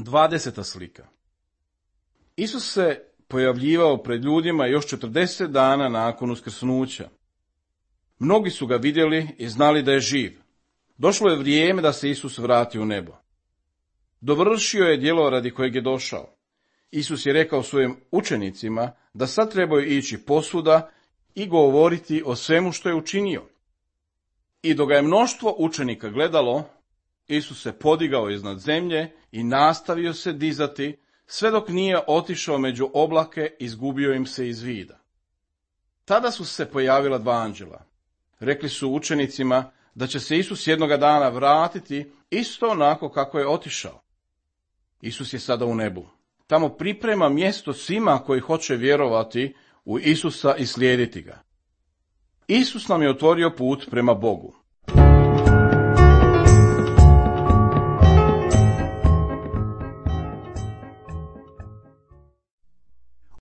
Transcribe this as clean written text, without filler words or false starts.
20. slika. Isus se pojavljivao pred ljudima još 40 dana nakon uskrsnuća. Mnogi su ga vidjeli i znali da je živ. Došlo je vrijeme da se Isus vrati u nebo. Dovršio je djelo radi kojeg je došao. Isus je rekao svojim učenicima da sad trebaju ići posvuda i govoriti o svemu što je učinio. I dok ga je mnoštvo učenika gledalo, Isus se podigao iznad zemlje i nastavio se dizati, sve dok nije otišao među oblake, izgubio im se iz vida. Tada su se pojavila dva anđela. Rekli su učenicima da će se Isus jednoga dana vratiti isto onako kako je otišao. Isus je sada u nebu. Tamo priprema mjesto svima koji hoće vjerovati u Isusa i slijediti ga. Isus nam je otvorio put prema Bogu.